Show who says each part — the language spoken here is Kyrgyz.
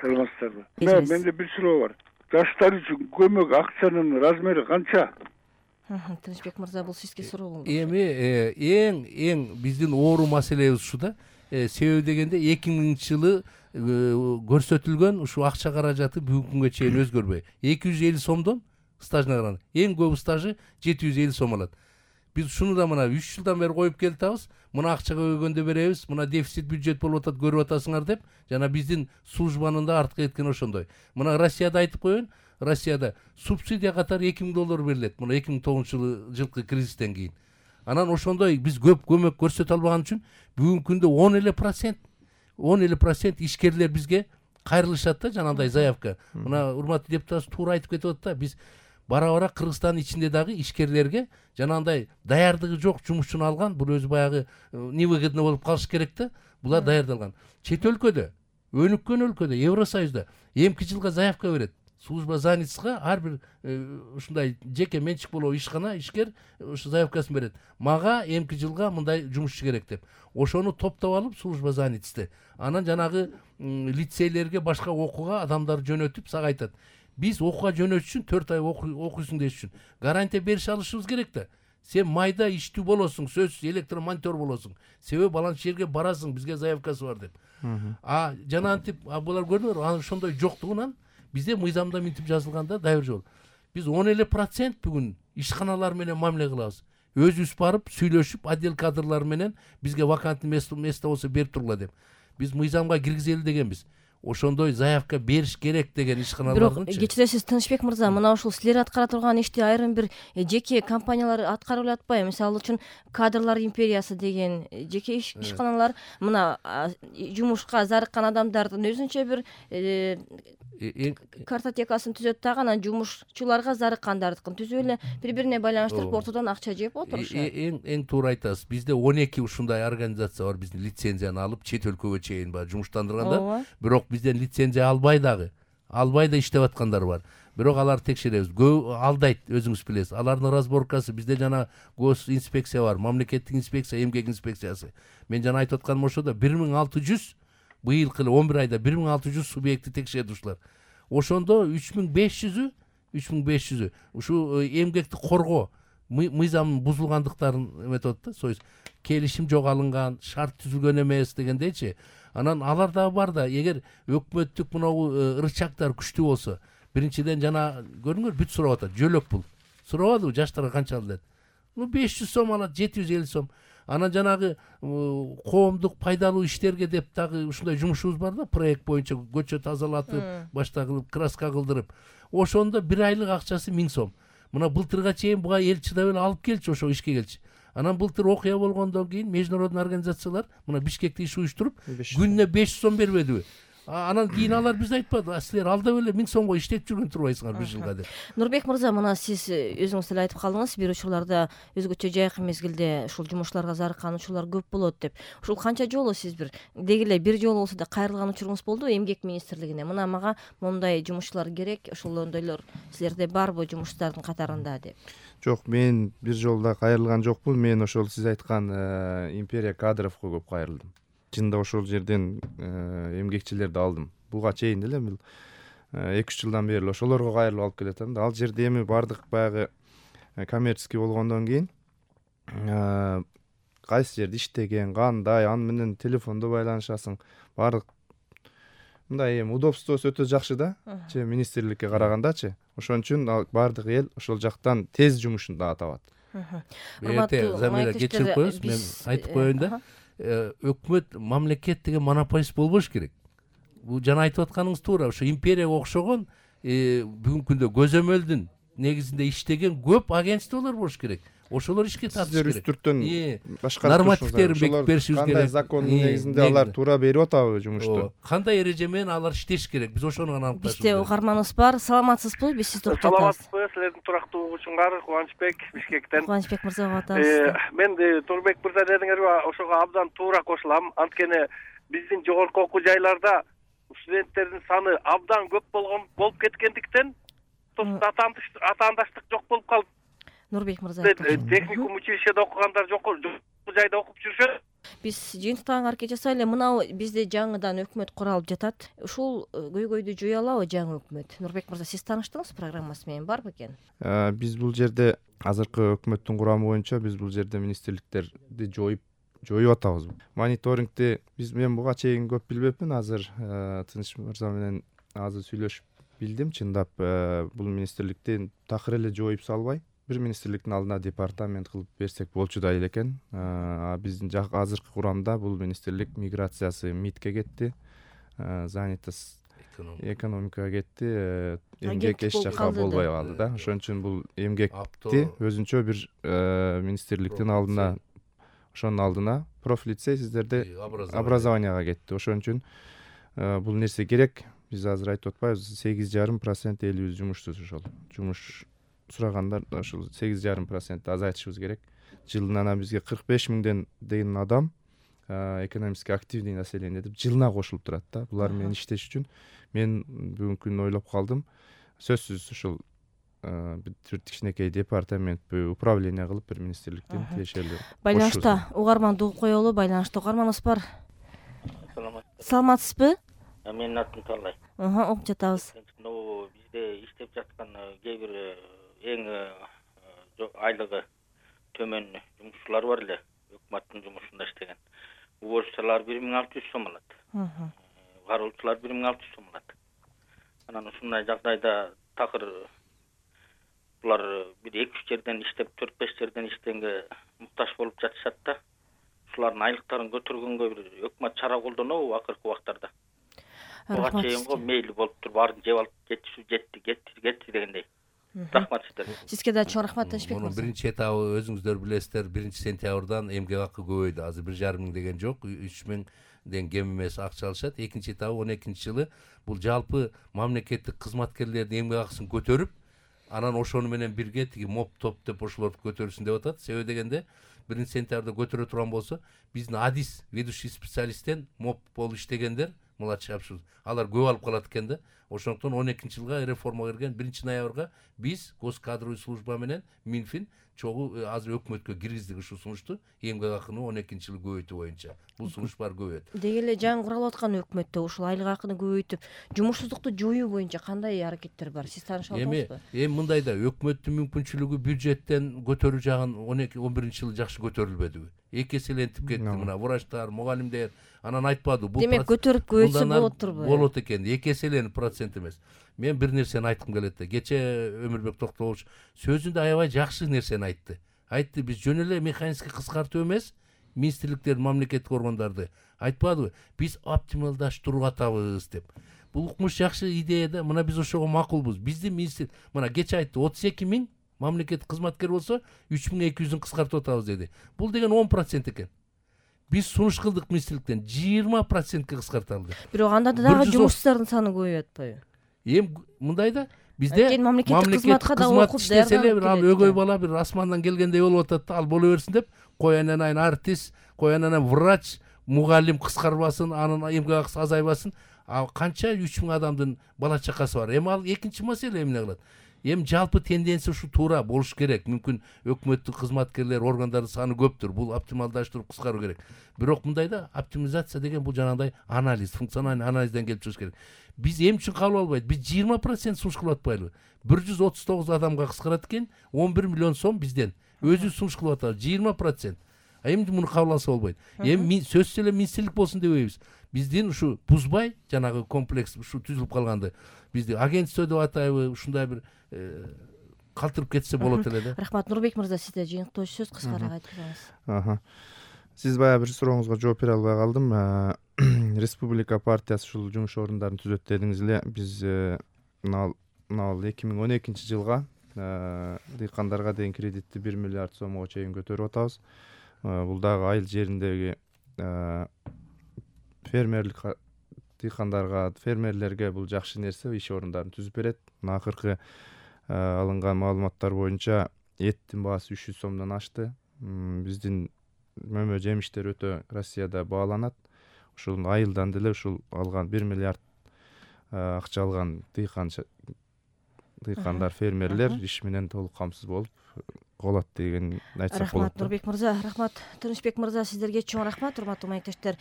Speaker 1: саламатсыздарбы? Менде бир суроо бар. Жаштар үчүн көмөк акчанын размери канча?
Speaker 2: Тынычбек мырза, бул сизге суроо болду.
Speaker 3: Эң биздин оору маселебиз ушу да. Себеби дегенде 2000-жылы көрсөтүлгөн ушул акча каражаты бүгүнкү күнгө чейин өзгөрбөй. 250 сомдон стажына караганда эң көп стажы 750 сом алат. Биз ушуну да мына 3 жылдан бери коюп келатабыз. Мына акча көбөйгөндө беребиз, мына дефицит бюджет болуп атат, көрүп атасыңар деп. Жана биздин службанын да артка кеткени ошондой. Мына Россияда айтып коеюн, Россияда субсидия катары $2000 берилет. Мына 2009-жылкы кризистен кийин. Анан ошондой биз көп көмөк көрсөтө албаган үчүн бүгүнкү күндө 10% ишкерлер бизге кайрылышат да, жанагындай заявка. Мына урматтуу депутат туура айтып кетип атат да, биз бара-бара Кыргызстандын ичинде дагы ишкерлерге жанагындай даярдыгы жок жумушчуну алган, бул өзү баягы невыгодно болуп калыш керек да. Булар даярдалган. Чет өлкөдө, өнүккөн өлкөдө, Евросоюзда эмки жылга заявка берет. Служба занятосьга ар бир ушундай жеке менчик болобу ишкана, ишкер ушу заявкасын берет. Мага эмки жылга мындай жумушчу керек деп. Ошону топтоп алып служба занятосьты. Анан жанагы лицейлерге башка окууга адамдар жөнөтүп сага айтат. Биз окууга жөнөтүш үчүн 4 ай окуйсуң деш үчүн гарантия берише алышыбыз керек да. Сен майда иштүү болосуң, сөзсүз электромонтер болосуң. Себеби баланча жерге барасың, бизге заявкасы бар деп. Жанагынтип булар көрдүңөрбү? Анан ошондой жоктугунан бизде мыйзамда минтип жазылганда дайыр жол. Биз 10% бүгүн ишканалар менен мамиле кылабыз. Өзүбүз барып сүйлөшүп, отдел кадрлары менен бизге вакантный место болсо берип тургула деп. Биз мыйзамга киргизели дегенбиз. Ошондой заявка бериш керек деген ишканалардын.
Speaker 2: Бирок кечиресиз Тынычбек мырза, мына ушул силер аткара турган ишти айрым бир жеке компаниялар аткарып атпайбы? Мисалы үчүн кадрлар империясы деген жеке ишканалар мына жумушка зарыккан адамдардын өзүнчө бир картотекасын түзөт дагы, анан жумушчуларга зарыккандардыкын түзүп эле бири-бирине байланыштырып ортодон акча жеп отурушат.
Speaker 3: Эң туура айтасыз. Бизде 12 ушундай организация бар, биздин лицензияны алып чет өлкөгө чейин жумуштандырганда. Бирок бизден лицензия албай да иштеп аткандар бар. Бирок алар текшеребиз. Алдайт, өзүңүз билесиз. Алардын разборкасы бизде жана гос инспекция бар, мамлекеттик инспекция, эмгек инспекциясы. Мен жана айтып атканым ошодо 1600 быйылкы 11 айда 1600 субъекти текшерди ушулар. Ошондо 3500 ушу эмгекти коргоо мыйзамдын бузулгандыктарын эметип атат да, союз келишим жок алынган, шарт түзүлгөн эмес дегендейчи. Анан алар да бар да, эгер өкмөттүк мынау ырчактар күчтүү болсо, биринчиден жана көрүңөр бүт сурап атат, жөлөк бул. Сурабадыбы жаштарга канча алат? 500 сом алат, 750 сом. Анан жанагы коомдук пайдалуу иштерге деп дагы ушундай жумушубуз бар да, проект боюнча көчө тазалатып, башта кылып, краска кылдырып. Ошондо бир айлык акчасы 1000 сом. Мына былтырга чейин буга эл чыдап эле алып келчи, ошо ишке келчи. Анан былтыр окуя болгондон кийин международный организациялар мына Бишкекте иш уюштуруп, күнүнө 500 сом бербедиби? Анан кийин алар бизге айтпады, силер алдап эле 1000 сомго иштеп жүргөн турбайсыңар бир жылга деп.
Speaker 2: Нурбек мырза, мына сиз өзүңүз эле айтып калдыңыз, бир учурларда өзгөчө жайкы мезгилде ушул жумушчуларга зарыккан учурлар көп болот деп. Ушул канча жолу сиз деги эле бир жолу болсо да кайрылган учуруңуз болду эмгек министрлигине? Мына мага моундай жумушчулар керек, ошондойлор силерде барбы жумушчулардын катарында деп?
Speaker 4: Жок, мен бир жолда кайрылган жокмун. Мен ошол сиз айткан империя кадровго көп кайрылдым. Чында ошол жерден эмгекчилерди алдым. Буга чейин эле 2-3 жылдан бери ошолорго кайрылып алып келатам. Ал жерде эми бардык баягы коммерческий болгондон кийин кайсы жерде иштеген, кандай, аны менен телефондо байланышасың. Бардык мындай удобствосу өтө жакшы да, министрликке карагандачы. Ошон үчүн бардык эл ошол жактан тез жумушун дагы табат.
Speaker 3: Замира кечирип коесуз, мен айтып коеюн да. Өкмөт, мамлекет деген монополист болбош керек. Бул жана айтып атканыңыз туура. Ошо империяга окшогон бүгүнкү күндө көзөмөлдүн негизинде иштеген көп агентстволор болуш керек. Ошолор ишке тартыш керек.
Speaker 4: Үстүртөн башка
Speaker 3: нормативтерин бекитип беришибиз керек.
Speaker 4: Кандай закондун негизинде алар туура берип атабы жумушту?
Speaker 3: Кандай эреже менен алар иштеш керек? Биз ошону гана аныкташыбыз керек.
Speaker 2: Бизде угарманыбыз бар. Саламатсызбы? Биз сизди уктап атабыз.
Speaker 1: Саламатсызбы? Силердин турактуу угуучуңар Кубанычбек Бишкектен.
Speaker 2: Кубанычбек мырза атабыз.
Speaker 1: Мен Турбек мырза дедиңерби, ошого абдан туура кошулам. Анткени биздин жогорку окуу жайларда студенттердин саны абдан көп болуп кеткендиктен атаандаштык жок болуп калды.
Speaker 2: Нурбек мырза.
Speaker 1: Техникум училищеде окугандар жок жайда окуп жүрүшөт.
Speaker 2: Биз жыйынтыктаган аракет жасайлы. Мына бизде жаңыдан өкмөт куралып жатат. Ушул көйгөйдү жое алабы жаңы өкмөт? Нурбек мырза, сиз тааныштыңыз программасы менен, барбы экен?
Speaker 4: Биз бул жерде азыркы өкмөттүн курамы боюнча биз бул жерде министрликтерди жоюп атабыз. Мониторингди мен буга чейин көп билбепмин. Азыр Тыныч мырза менен азыр сүйлөшүп билдим. Чындап бул министрликти такыр эле жоюп салбай, бир министрликтин алдына департамент кылып берсек болчудай эле экен. Биздин азыркы курамда бул министрлик миграциясы МИДке кетти, занятость экономикага кетти, эмгек эч жакка болбой калды да. Ошон үчүн бул эмгекти өзүнчө бир министрликтин алдына, ошонун алдына профлицей сиздерде образованияга кетти. Ошон үчүн бул нерсе керек. Биз азыр айтып атпайбыз, 8,5% элибиз жумушсуз. Ошол жумуш сурагандар ошол 8,5% азайтышыбыз керек. Жылына бизге 45 миңден деген адам экономически активный население деп жылына кошулуп турат да. Булар менен иштеш үчүн мен бүгүнкү күнү ойлоп калдым. Сөзсүз ушул бир кичинекей департаментпи, управление кылып бир министрликтин тиешелүү.
Speaker 2: Байланышта угарманды угуп коелу. Байланышта угарманыбыз бар. Саламатсызбы?
Speaker 5: Менин атым Талай.
Speaker 2: Угуп жатабыз.
Speaker 5: Бизде иштеп жаткан кээ бир эң айлыгы төмөн жумушчулар бар эле, өкмөттүн жумушунда иштеген. Уборчулар 1600 сом алат. Кароочулар 1600 сом алат. Анан ушундай жагдайда такыр булар бир 2-3 жерден иштеп, 4-5 жерден иштегенге муктаж болуп жатышат да. Ушулардын айлыктарын көтөргөнгө бир өкмөт чара колдонобу акыркы убактарда? Буга чейин мейли болуп туруп баарын жеп алып кетти дегендей. Рахмат сиздерге.
Speaker 2: Сизге да чоң рахмат Тынычбек мырза.
Speaker 3: Биринчи этабы өзүңүздөр билесиздер, 1-сентябрдан эмгек акы көбөйдү. Азыр 1,5 миң деген жок, 3 миңден кем эмес акча алышат. Экинчи этабы 12-жылы бул жалпы мамлекеттик кызматкерлердин эмгек акысын көтөрүп, анан ошону менен бирге тиги моп топ деп ошолорду көтөрүшүн деп атат. Себеби дегенде 1-сентябрда көтөрө турган болсо, биздин адис ведущий специалисттен моп болуп иштегендер, младший апшур, алар көп алып калат экен да. Ошондуктан 12-жылга реформа кирген 1-ноябрга биз госкадровый служба менен Минфин чогуу азыр өкмөткө киргиздик ушу сунушту, эмгек акыны 12-жылы көбөйтүү боюнча. Бул сунуш бар көбөйөт.
Speaker 2: Деги эле жаңы куралып аткан өкмөттө ушул айлык акыны көбөйтүп, жумушсуздукту жоюу боюнча кандай аракеттер бар? Сиз тааныша аласызбы?
Speaker 3: Эми мындайда өкмөттүн мүмкүнчүлүгү бюджеттен көтөрүү жагын 12-11-жылы жакшы көтөрүлбөдүбү? 2 эселентип кетти мына врачтар, мугалимдер, анан айтпады. Бул
Speaker 2: демек көтөрүп көбөйтсө болот турбу?
Speaker 3: Болот экен, 2 эселенip процент эмес. Мен бир нерсени айткым келет да. Кече Өмүрбек Токтогулович сөзүндө аябай жакшы нерсени айтты. Айтты, биз жөн эле механический кыскартуу эмес, министрликтер, мамлекеттик органдарды айтпадыбы? Биз оптималдаштырууга атабыз деп. Бул укмуш жакшы идея да. Мына биз ошого макулбуз. Биздин министр мына кече айтты, 32 миң мамлекеттик кызматкер болсо 3200-ün кыскартып атабыз деди. Бул деген 10% экен. Биз сунуш кылдык министрликтен 20%ке кыскартылды.
Speaker 2: Бирок анда дагы жумушсуздардын саны көбөйөт атпайбы?
Speaker 3: Эми мындайда бизде
Speaker 2: мамлекеттик кызматка да окуп
Speaker 3: даярданып келет. Ал өгөй бала бир асмандан келгендей болуп атат да, ал боло берсин деп, коянан артист, коянан врач, мугалим кыскарбасын, анын эмгек акысы азайбасын. А канча 3000 адамдын бала чакасы бар. Эми ал экинчи маселе эмне кылат? Эми жалпы тенденция ушу туура болуш керек. Мүмкүн өкмөттүк кызматкерлер, органдардын саны көптүр. Бул оптималдаштырып кыскаруу керек. Бирок мындайда оптимизация деген бул жанагындай анализ, функциональный анализден келип чыгыш керек. Биз эми үчүн кабыл албайт. Биз 20% сунуш кылып атпайлыбы? 139 адамга кыскарат экен, 11 миллион сом бизден. Өзү сунуш кылып атабыз 20%. А эми муну кабыл алса болбойт. Эми сөзсүз эле министрлик болсун дебейбиз. Биздин ушу бузбай, жанагы комплекс ушу түзүлүп калганды бизди агентство деп атайбы, ушундай бир калтырып кетсе болот эле да.
Speaker 2: Рахмат. Нурбек мырза, сизде жыйынтыктоочу сөз кыскараак айтып бериңиз.
Speaker 4: Сиз баягы бир сурооңузга жооп бере албай калдым. Республика партиясы ушул жумуш орундарын түзөт дедиңиз эле. Биз мына 2012-жылга дыйкандарга деген кредитти 1 миллиард сомго чейин көтөрүп атабыз. Бул дагы айыл жериндеги фермерлик дыйкандарга, фермерлерге бул жакшы нерсе, иш орундарын түзүп берет. Мына акыркы алынган маалыматтар боюнча эттин баасы 300 сомдон ашты. Биздин мөмө жемиштер өтө Россияда бааланат. Ушул айылдан деле ушул алган 1 миллиард акча алган дыйкан дыйкандар, фермерлер иш менен толук камсыз болуп калат деген айтсак болот.
Speaker 2: Рахмат Нурбек мырза, рахмат Тынычбек мырза, сиздерге чоң рахмат. Урматтуу маектештер,